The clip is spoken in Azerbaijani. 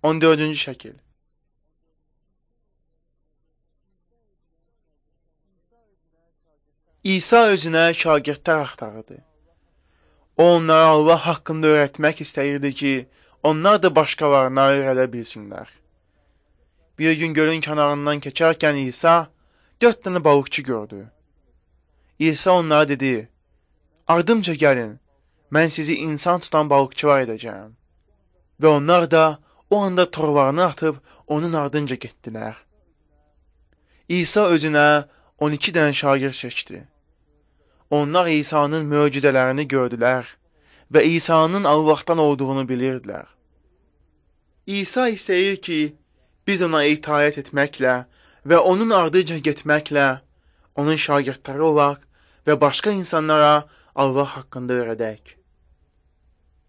14-cü şəkil. İsa özünə şagirdlər axtarırdı. O onlara Allah haqqında öyrətmək istəyirdi ki, onlar da başqalarına öyrədə bilsinlər. Bir gün gölün kənarından keçərkən İsa 4 dənə balıqçı gördü. İsa onlara dedi, ardımca gəlin, mən sizi insan tutan balıqçılar edəcəyəm. Və onlar da o anda torlarını atıb onun ardınca getdilər. İsa özünə 12 dənə şagird seçdi. Onlar İsa'nın möcüzələrini gördülər və İsa'nın Allahdan olduğunu bilirdilər. İsa istəyir ki, biz ona itaət etməklə və onun ardınca getməklə onun şagirdləri olaq və başqa insanlara Allah haqqında öyrədək.